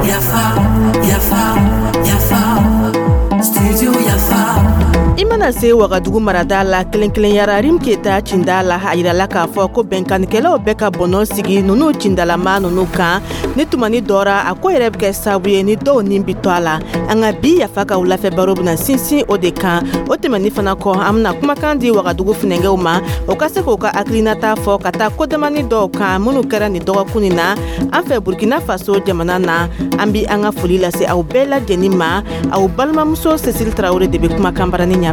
Yafa, yafa, yafa, studio Yafa. I mana se Wagadugu marada la, kelen-kelenyara Rim Keta cinda la, a yirala k'a fɔ ko bɛnkanikɛlaw bɛ ka bɔnɔ sigi nunu cindalama nunu kan ni tumani dɔra. A ko yɛrɛ bɛ kɛ sababu ye ni dɔw nin bi to a la. An ka bi Yafa ka wulafɛ baro bɛna sinsin o de kan. O tɛmɛni fana kɔ, an bɛna kumakan di Wagadugu funɛngɛw ma, o ka se k'o ka hakilinata fɔ ka taa kodamani dɔw kan minnu kɛra nin dɔgɔkun nin na an fɛ Burkina Faso jamana na. An bi an ka foli lase aw bɛɛ lajɛlen ma. Aw balimamuso Cécile Traoré de bɛ kumakan barani ɲɛfɛ.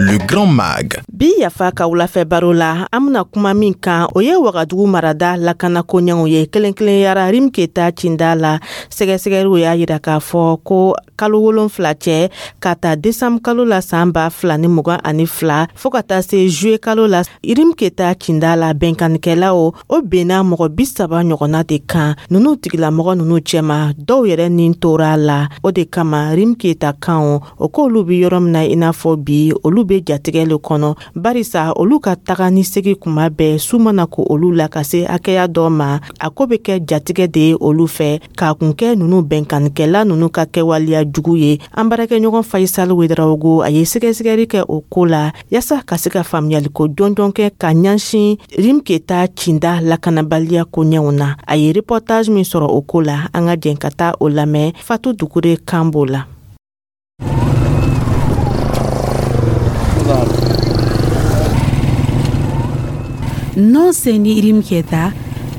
Le Grand Mag. Bi Yafa ka wulafɛ baro la, an bena kuma min kan, o ye Wagadugu marada lakanako ɲɛw ye, kelen kelenyara Rim Keta cinda la. Sɛgɛsɛgɛliw y'a yira k'a fɔ ko kalo 7 cɛ, ka ta desanbu kalo la san 2022 fɔɔ ka taa se juye kalo la, Rim Keta cinda la, bɛnkanikɛlaw o benna mɔgɔ 30 ɲɔgɔnna de kan. Nunu tigilamɔgɔ nunu cɛma, dɔw yɛrɛ nin tora la. O de kama Rim Keta kanw o k'olu be yɔrɔ min na, i n'a fɔ bi olu be jatigɛ le kɔnɔ, barisa olu ka taga ni segi kuma bɛɛ, su mana ko olu la ka se hakɛya dɔ ma, a ko be kɛ jatigɛ de ye olu fɛ, k'a kun kɛ nunu bɛnkanikɛla nunu ka kɛwaleya jugu ye. An baarakɛɲɔgɔn Faisal Wedraogo, a ye sɛgɛsɛgɛli kɛ o ko la yaasa ka se ka faamuyaliko jɔnjɔn kɛ ka ɲɛsin Rim Keta cinda lakanabaliya koɲɛw na. A ye reportage min sɔrɔ o ko la, an ka jɛn ka taa o lamɛn. Fatu Dukure kan b'o la. Non Seni Rim Keta,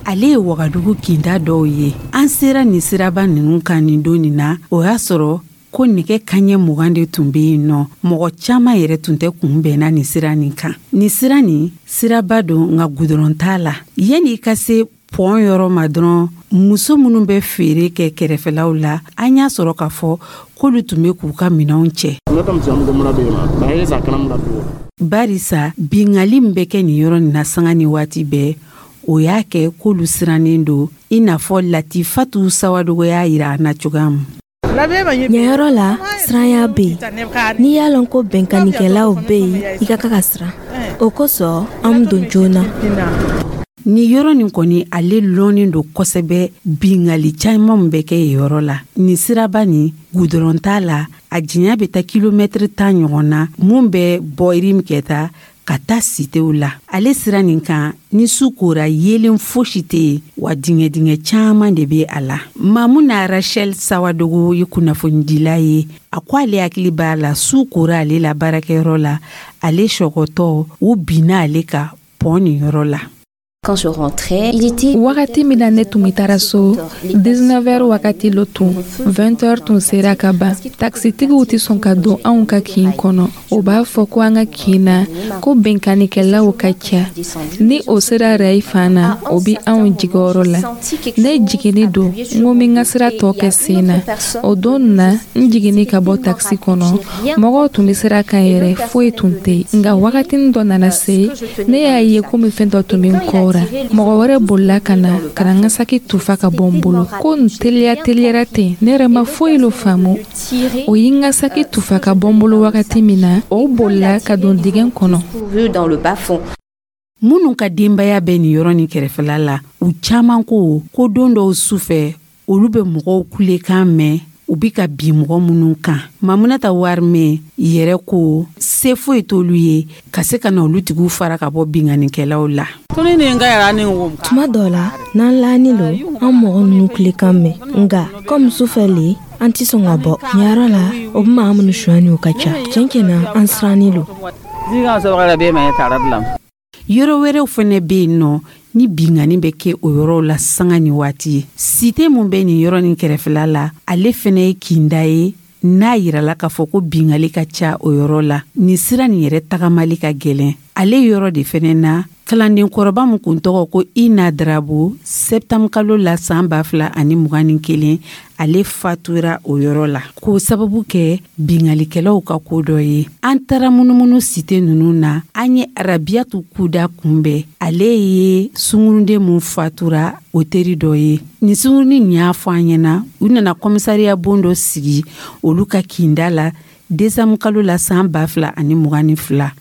ale ye Wagadugu kinda dɔw ye. An sera nin siraba ninnu kan nin don nin na, o y'a sɔrɔ ko nɛgɛ kaɲɛ 20 de tun bɛ yen nɔ. Mɔgɔ caman yɛrɛ tun tɛ kunbɛnna nin sira nin kan. Nin sira nin, siraba don, nka gudɔrɔn t'a la. Yanni i ka se pɔn yɔrɔ ma dɔrɔn, muso minnu bɛ feere kɛ kɛrɛfɛlaw la, an y'a sɔrɔ k'a fɔ k'olu tun bɛ k'u ka minɛnw cɛ, barisa bingali min bɛ kɛ nin yɔrɔ nin na sanga ni waati bɛɛ, o y'a kɛ k'olu sirannen don, i n'a fɔ Latifatu Sawadogo y'a yira an na cogoya min. Ɲɛ yɔrɔ la, siranya bɛ yen. N'i y'a lɔn ko bɛnkannikɛlaw bɛ yen, i ka kan ka siran. O kosɔn an bɛ don joona. Nin yɔrɔ nin kɔni, ale lɔnnen don kosɛbɛ. Bingali caman min bɛ kɛ yen yɔrɔ la, nin siraba nin, gudɔrɔn t'a la. A janya bɛ taa kilomɛtiri 10 ɲɔgɔn na, mun bɛ bɔ Rim Keta ka taa sitew la. Ale sira nin kan, ni su kora, yeelen fosi tɛ yen, wa dingɛ-dingɛ caman de bɛ a la. Mamuna Rachel Sawadogo ye kunnafonidila ye. A ko ale hakili b'a la, su kora ale la baarakɛyɔrɔ la, ale sɔgɔtɔ, u binna ale kan pɔn nin yɔrɔ la. Quand je rentrais, il était Wagati min na ne tun bɛ taara so, 19 heures wagati lo tun, 20 heures tun sera ka ban. Takisitigiw tɛ sɔn ka don anw ka kin kɔnɔ. O b'a fɔ ko an ka kin na ko bɛnkannikɛlaw ka ca. Ni o sera rayi fan na, o bɛ anw jigiyɔrɔ la. Ne jiginni don, n ko n bɛ n ka sira tɔ kɛ sen na. O don na, n jiginni ka bɔ takisi kɔnɔ, mɔgɔw tun bɛ sira kan yɛrɛ, foyi tun tɛ yen. Nka wagatinin dɔ nana se, ne y'a ye komi fɛn dɔ tun bɛ n kɔ. Mɔgɔ wɛrɛ bolila ka na ka na n ka saki tufa ka bɔ n bolo. Ko n teliya teliyara ten, ne yɛrɛ ma foyi lo faamu. O ye n ka saki tufa ka bɔ n bolo wagati min na, o bolila ka don dingɛ kɔnɔ. Minnu ka denbaya bɛ nin yɔrɔ nin kɛrɛfɛla la, u caman ko ko don dɔw su fɛ, olu bɛ mɔgɔw kulekan mɛn, u bi ka bin mɔgɔ minnu kan. Mamunata Warimɛ yɛrɛ ko se foyi t'olu ye ka se ka na olu tigiw fara ka bɔ binkannikɛlaw la. Tuma dɔ la, n'an laani lo, an mɔgɔ ninnu kulekan mɛn, nka komi sufɛ le, an tɛ sɔn ka bɔ. Nin yɔrɔ la, o bɛ maa minnu sonyani, o ka ca. Tiɲɛ tiɲɛ na, an siranni lo. Yɔrɔ wɛrɛw fɛnɛ bɛ yen nɔ ni binkanni bɛ kɛ o yɔrɔw la sanga ni waati ye. Site mun bɛ nin yɔrɔ nin kɛrɛfɛla la, ale fɛnɛ ye kinda ye n'a yirala k'a fɔ ko bingali ka ca o yɔrɔ la. Nin sira nin yɛrɛ tagamali ka gɛlɛn ale yɔrɔ de fɛnɛ na. Kalandenkɔrɔba min kun tɔgɔ ko Ina Darabo, sɛptanburu kalo la san 2021, ale fatura o yɔrɔ la k'o sababu kɛ bingalikɛlaw ka ko dɔ ye. An taara munumunu site ninnu na, an ye Arabiyatu Kuda kunbɛn. Ale ye sungurunden mun fatura o teri dɔ ye. Nin sungurunin nin y'a fɔ an ɲɛna, u nana kɔmisariya bon dɔ sigi olu ka kinda la. Desanburu kalo la san 2022,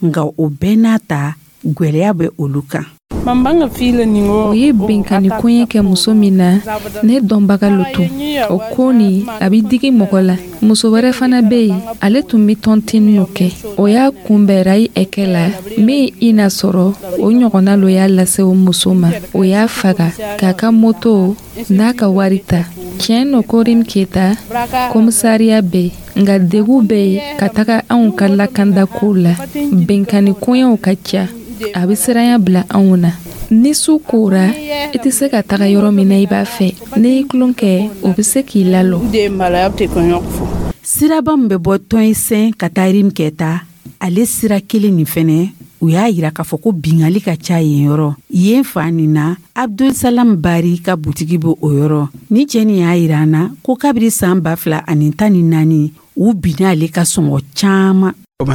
nka o bɛɛ n'a ta, gwɛlɛya bɛ olu kan. O ye binkanni koɲɛ kɛ muso min na, ne dɔnbaga lo tun. O ko nin, a bɛ digi mɔgɔ la. Muso wɛrɛ fana bɛ yen, ale tun bɛ tɔntiniw kɛ. O y'a kunbɛn rayi ɛkɛ la min i n'a sɔrɔ o ɲɔgɔnna lo y'a lase o muso ma. O y'a faga k'a ka moto n'a ka wari ta. Tiɲɛ no ko Rim Keta komisariya bɛ yen, nka degun bɛ yen ka taga anw ka lakandako la. Binkanni koɲɛw ka ca, a bɛ siranya bila anw na. Ni su kora, i tɛ se ka taga yɔrɔ min na i b'a fɛ. N'i y'i tulon kɛ, o bɛ se k'i lalɔ. Siraba min bɛ bɔ Tɔnsɛn ka taa Rim Keta, ale sira kelen nin fɛnɛ, u y'a yira k'a fɔ ko bingali ka ca yen yɔrɔ. Yen fan nin na, Abdulsalam Bari ka butigi bɛ o yɔrɔ. Ni cɛ nin y'a yira an na ko kabiri san 2014, u binna ale ka sɔngɔ caman. O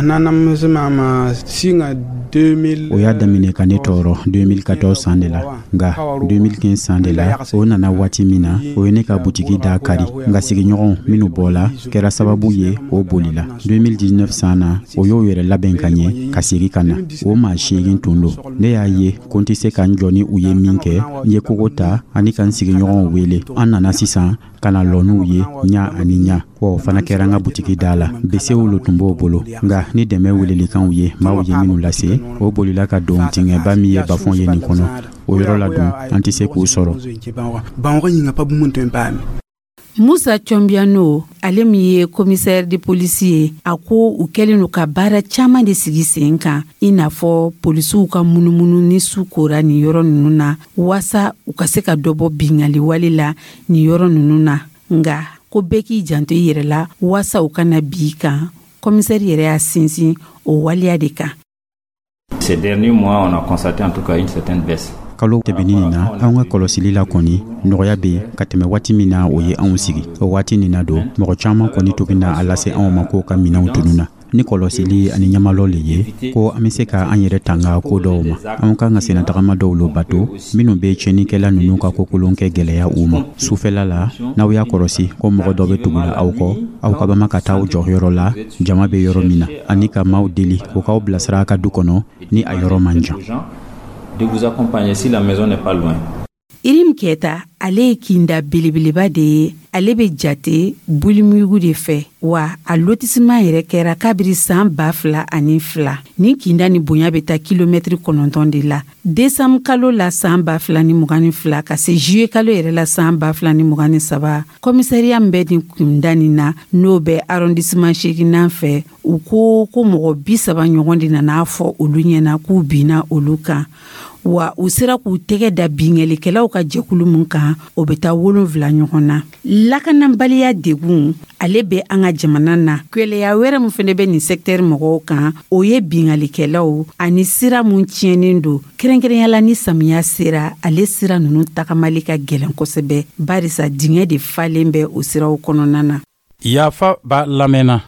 y'a daminɛ ka ne tɔɔrɔ 2014 san de la, nka 2015 san de la, o nana waati min na, o ye ne ka butigi da kari. Nka sigiɲɔgɔnw minnu bɔla kɛra sababu ye, o bolila. 2019 san na, o y'o yɛrɛ labɛn ka ɲɛ ka segin ka na. O maa 8 tun don. Ne y'a ye ko n tɛ se ka n jɔ ni u ye min kɛ, n ye kogo ta ani ka n sigiɲɔgɔnw wele. An nana sisan ka na lɔ n'u ye ɲa ani ɲa. Wa o fana kɛra n ka butigi da la. Besew lo tun b'o bolo, nka ni dɛmɛ welelikanw ye maaw ye minnu lase, o bolila ka don dingɛba min ye bafɔn ye nin kɔnɔ. O yɔrɔ la dun, an tɛ se k'u sɔrɔ. Musa Cɔnbiyano, ale min ye commissaire de police ye, a ko u kɛlen don ka baara caman de sigi sen kan, i n'a fɔ polisiw ka munumunu ni su kora nin yɔrɔ ninnu na, waasa u ka se ka dɔ bɔ bingali wale la nin yɔrɔ ninnu na. Nka ko bɛɛ k'i janto i yɛrɛ la waasa u kana bi kan. Commissaire yɛrɛ y'a sinsin o waleya de kan. Ces derniers mois, on a constaté en tout cas une certaine baisse. Kalo tɛmɛnin nin na, anw ka kɔlɔsili la kɔni, nɔgɔya bɛ yen ka tɛmɛ waati min na o ye anw sigi. O waati nin na don, mɔgɔ caman kɔni tun bɛ na a lase anw ma k'o ka minɛnw tununna. Ni kɔlɔsili ani ɲamalɔ le ye ko an bɛ se ka an yɛrɛ tanga ko dɔw ma, anw kan ka sennatagama dɔw lo bato minnu bɛ tiɲɛnikɛla ninnu ka kokolon kɛ gɛlɛya u ma. Sufɛla la, n'aw y'a kɔlɔsi ko mɔgɔ dɔ bɛ tugula aw kɔ, aw ka bama ka taa aw jɔ yɔrɔ la jama bɛ yɔrɔ min na, ani ka maaw deli u k'aw bilasira a ka du kɔnɔ ni a yɔrɔ man jan. De vous accompagner si la maison n'est pas loin. Irim Keta, ale ye kinda belebeleba de ye. Ale bɛ jate bulimugu de fɛ, wa a lotissement yɛrɛ kɛra kabiri san 2002. Nin kinda ni bonya bɛ taa kilomɛtiri 9 de la. Desanburu kalo la san 2022 ka se juillet kalo yɛrɛ la san 2023, commissariat min bɛ nin kinda nin na, n'o bɛ arrondissement 8nan fɛ, u ko ko mɔgɔ 30 ɲɔgɔn de nana fɔ olu ɲɛna k'u binna olu kan. Wa u sera k'u tɛgɛ da binkannikɛlaw ka jɛkulu min kan, o bɛ taa 7 ɲɔgɔn na. Lakanabaliya degun, ale bɛ an ka jamana na. Gwɛlɛya wɛrɛ min fana bɛ nin secteur mɔgɔw kan, o ye binkannikɛlaw ani sira mun tiɲɛnen don, kɛrɛnkɛrɛnya ni samiya sera. Ale sira ninnu tagamali ka gɛlɛn kosɛbɛ, barisa dingɛ de falen bɛ o siraw kɔnɔna na. Yafa b'a lamɛnna.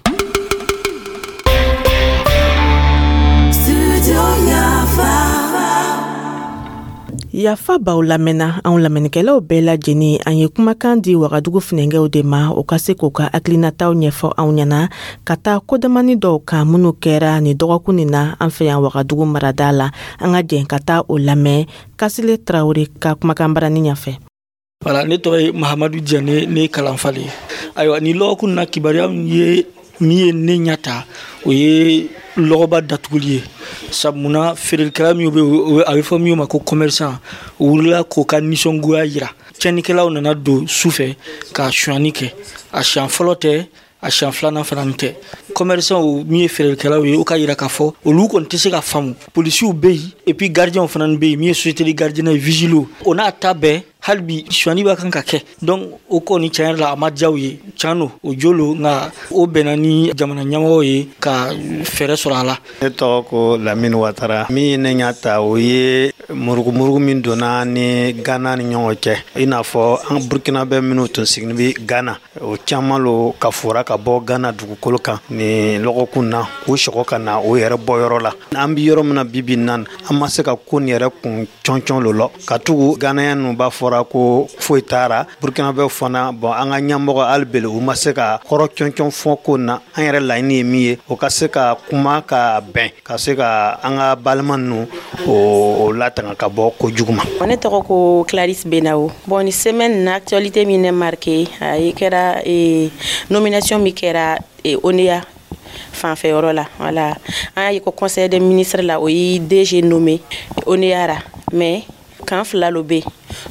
Yafa b'aw lamɛnna. Anw lamɛnnikɛlaw bɛɛ lajɛlen, an ye kumakan di Wagadugu funɛnkɛw de ma, o ka se k'u ka hakilinataw ɲɛfɔ anw ɲɛna ka taa kodamani dɔw kan minnu kɛra nin dɔgɔkun nin na an fɛ yan Wagadugu marada la. An ka jɛn ka taa o lamɛn Kasile Tarawele ka kumakan barani ɲɛfɛ. Voilà, ne tɔgɔ ye Mahamadu Jane, ne ye kalanfa de ye. Ayiwa, nin lɔgɔkun na, kibaruya min ye min ye ne ɲɛ ta, o ye lɔgɔba datuguli ye. Sabu munna, feerelikɛla minnu bɛ yen, a bɛ fɔ minnu ma ko commerçant, u wulila k'u ka nisɔngoya yira. Tiɲɛnikɛlaw nana don su fɛ ka sonyani kɛ. A siɲɛ fɔlɔ tɛ, a siɲɛ filanan fana tɛ. Commerçant min ye feerelikɛlaw ye, o ka yira k'a fɔ olu kɔni tɛ se ka faamu. Polisiw bɛ yen, et puis gardiens fana bɛ yen, min ye société de gardien ye, vigile, o n'a ta bɛɛ, hali bi sonyani b'a kan ka kɛ. Donc o kɔni, tiɲɛ yɛrɛ la, a ma diya u ye. Tiɲɛ don, o jo lo, nka o bɛnna ni jamana ɲɛmɔgɔw ye ka fɛɛrɛ sɔrɔ a la. Ne tɔgɔ ko Lamini Watara. Min ye ne ɲɛ ta, o ye Murugumurugu min donna ni Ghana ni ɲɔgɔn cɛ, i n'a fɔ an Burkinabɛ minnu tun sigilen bɛ Ghana, o caman lo ka fora ka bɔ Ghana dugukolo kan nin lɔgɔkun na, k'u sɔgɔ ka na o yɛrɛ bɔyɔrɔ la. An bɛ yɔrɔ min na bi bi na, an ma se ka ko nin yɛrɛ kun cɔncɔn lo lɔ, ka tugu Ghanéen ninnu b'a fɔra ko foyi taara Burkinabɛ fana. Bɔn, an ka ɲɛmɔgɔ hali bele, u ma se ka kɔrɔ cɔncɔn fɔ ko na. An yɛrɛ laɲini ye min ye, o ka se ka kuma ka bɛn, ka se ka an ka balima ninnu o latanga ka bɔ kojugu ma. Ne tɔgɔ ko Clarisse Benawo. Bon, ni semaine na, actualité min ne marqué, a kɛra nomination min kɛra ONEA fanfɛyɔrɔ la. Voilà, an y'a ye ko conseil des ministres la, o ye DG nommé ONEA ra, mais kan fila lo bɛ,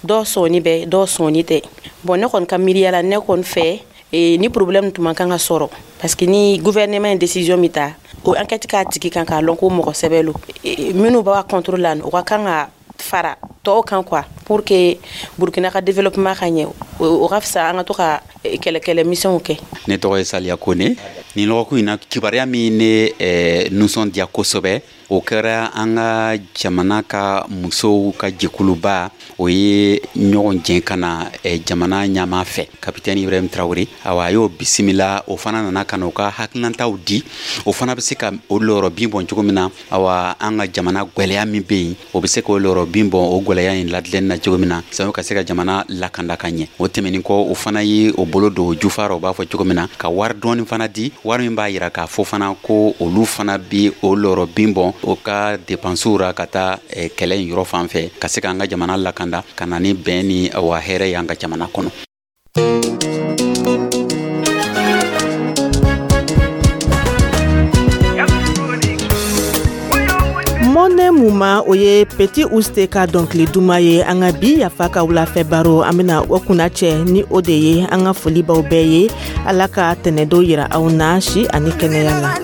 dɔw sɔnni bɛ, dɔw sɔnni tɛ. Bon, ne kɔni ka miiriya la, ne kɔni fɛ, ni problème tun man kan ka sɔrɔ, parce que ni gouvernement ye décision min ta, o enquête k'a tigi kan k'a lɔn ko mɔgɔ sɛbɛ lo. Minnu b'a contre la, o ka kan ka fara tɔw kan quoi, pour que Burkina ka développement ka ɲɛ. O ka fisa an ka to ka kɛlɛkɛlɛ misɛnw kɛ. Ne tɔgɔ ye Saliya Kone. Nin lɔgɔkun in na, kibaruya min ne nisɔndiya kosɛbɛ, o kɛra an ka jamana ka musow ka jɛkuluba, o ye ɲɔgɔn jɛn ka na jamana ɲama fɛ, Kapitɛni Ibrahim Tarawele. Awa, a y'o bisimila. O fana nana ka na o ka hakilinataw di, o fana bɛ se ka o lɔyɔrɔ bin bɔn cogo min na. Awa, an ka jamana gwɛlɛya min bɛ yen, o bɛ se k'o lɔyɔrɔ bin bɔn o gwɛlɛya in ladilanni na cogo min na, sanu ka se ka jamana lakanda ka ɲɛ. O tɛmɛnin kɔ, o fana ye o bolo don jufa rɔ, o b'a fɔ cogo min na, ka wari dɔɔni fana di, wari min b'a yira k'a fɔ fana ko olu fana bi o lɔyɔrɔ bin bɔn o ka depansiw ra ka taa kɛlɛ in yɔrɔ fan fɛ, ka se k'an ka jamana lakanda, ka na ni bɛn ni wa hɛrɛ y'an ka jamana kɔnɔ. Mɔnɛ Muma, o ye Petit Ouste ka dɔnkili duman ye. An ka bi Yafa ka wulafɛ baro, an bena o kunna cɛ ni o de ye. An ka foli baw bɛɛ ye. Ala ka tɛnɛdo yira aw na si ani kɛnɛya la.